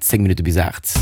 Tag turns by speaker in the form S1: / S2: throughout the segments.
S1: 10 Minutte bis 8.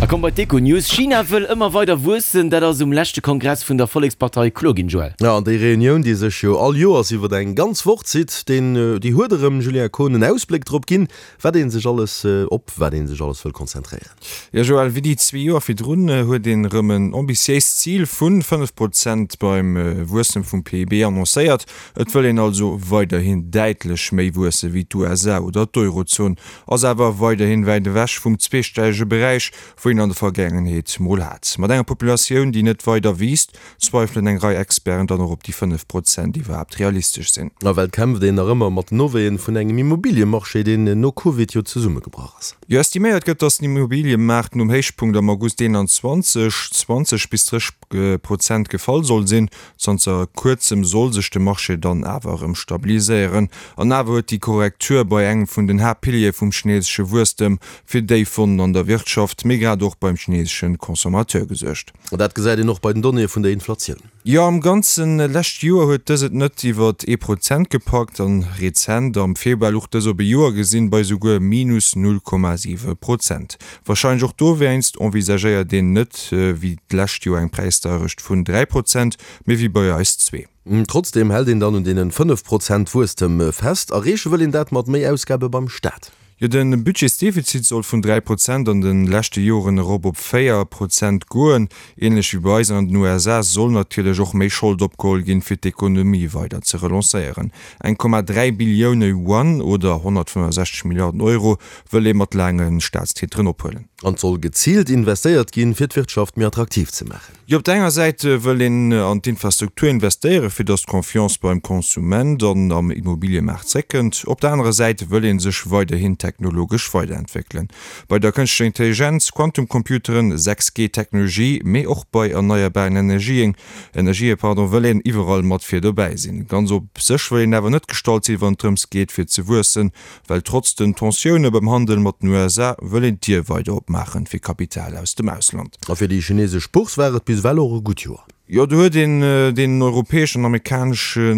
S1: A komm bei d'Econews. China wëll ëmmer weider wuessen, dat ass um leschte Kongress vun der Vollekspartei kloer ginn, Joël.
S2: Jo, an déi Reunioun, déi sech jo all Joers iwwer eng ganz Woch zitt, deen, déi huet erëm, Julien Kohn, en Ausbléck drop ginn, wat ee sech alles, op wat ee sech alles wëll konzentréieren.
S3: Jo, Joël, wéi déi zwee Joer virdrun huet een erëm en ambitiéist Zil vu 5 Prozent beim Wuesstem vum PIB annoncéiert. Et wëll een also weiderhin däitlech méi wuesse wéi d'USA oder d'Eurozon, ass awer weiderhin wäit ewech vum zweestellege Beräich, wou een an der Vergaangenheet mol hat. Mat enger Populatioun, déi net weider wiisst, zweifelen eng Rei Experten dann och, ob déi 5 Prozent iwwerhaapt realistesch sinn.
S2: Nawell kämpft een nach ëmmer mat den Nowéien vun engem Immobiliëmarché, deen no Covid jo zesummegebrach ass.
S3: Jo, estiméiert gëtt, datt den Immobiliëmaart nom Héichpunkt am August 21, 20 bis 30 Prozent gefall soll sinn. Zanter kuerzem soll sech de Marché dann awer erëm stabiliséieren. An awer huet déi Korrektur bei engem vun den Haaptpiliere vum chinesesche Wuesstem fir déif Wonnen an der Wirtschaft, mee grad och beim chinesesche Consommateur gesuergt.
S2: Dat gesäit een och bei den Donnéeë vun der Inflatioun.
S3: Jo, am ganze lescht Joer huet dës et net iwwer ee Prozent gepackt an rezent am Februar luch dës op e Joer gesinn bei souguer minus 0,7 Prozent. Warscheinlech och dowéinst envisagéiert een net wéi d'lescht Joer eng Präisdeierecht vun 3 Prozent, mee wéi bei eis zwee.
S2: Trotzdeem hält een dann un deenen 5 Prozent Wuesstem fest. Erreeche wëll een dat mat méi Ausgabe beim Staat.
S3: Jo, de Budgetsdefizit soll vun 3 Prozent an de leschte Joren erop op 4 Prozent goen. Ähnlech wéi bei eis an an den USA soll natierlech och méi Schold opgeholl ginn, fir d'Ekonomie weider ze relancéieren. 1,3 Billioune Yuan oder 165 Milliarden Euro wëll ee mat laange Staatstiteren ophuelen.
S2: An et soll geziilt investéiert ginn, fir d'Wirtschaft méi attraktiv ze maachen.
S3: Jo, op der enger Säit wëll een an d'Infrastruktur investéieren, fir datt d'Confiance beim Konsument an am Immobiliëmaart zréckkënnt. Op der anerer Säit wëll ee sech weiderhin technologesch weiderentwéckelen. Bei der kënschtlecher Intelligenz, Quantumcomputeren, 6G-Technologie, mee och bei erneierbaren Energien, Energië, pardon, wëll een iwwerall mat vir dobäi sinn. Ganz op sech wëll een awer net gestallt sinn, wann et drëms geet, fir ze wuessen. Well trotz den Tensioune beim Handel mat den USA wëll een d'Dier weider opmaachen fir Kapital aus dem Ausland.
S2: A fir déi chinesesch Bourse war et bis ewell och e gutt Joer.
S3: Jo, do huet een deenen europäeschen an amerikanesche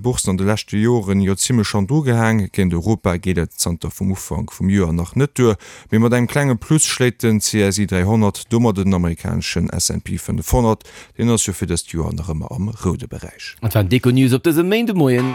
S3: Boursen an de leschte Joren jo zimmlech hannendru gehaang. Géint Europa geet et zanter vum Ufank vum Joer nach net duer, mee mat engem klenge Plus schléit den CSI 300 domat den amerikaneschen S&P 500. Deen ass jo fir dëst Joer nach ëmmer am roude Beräich.
S1: Dat waren d'Econews op dësem Méindemoien.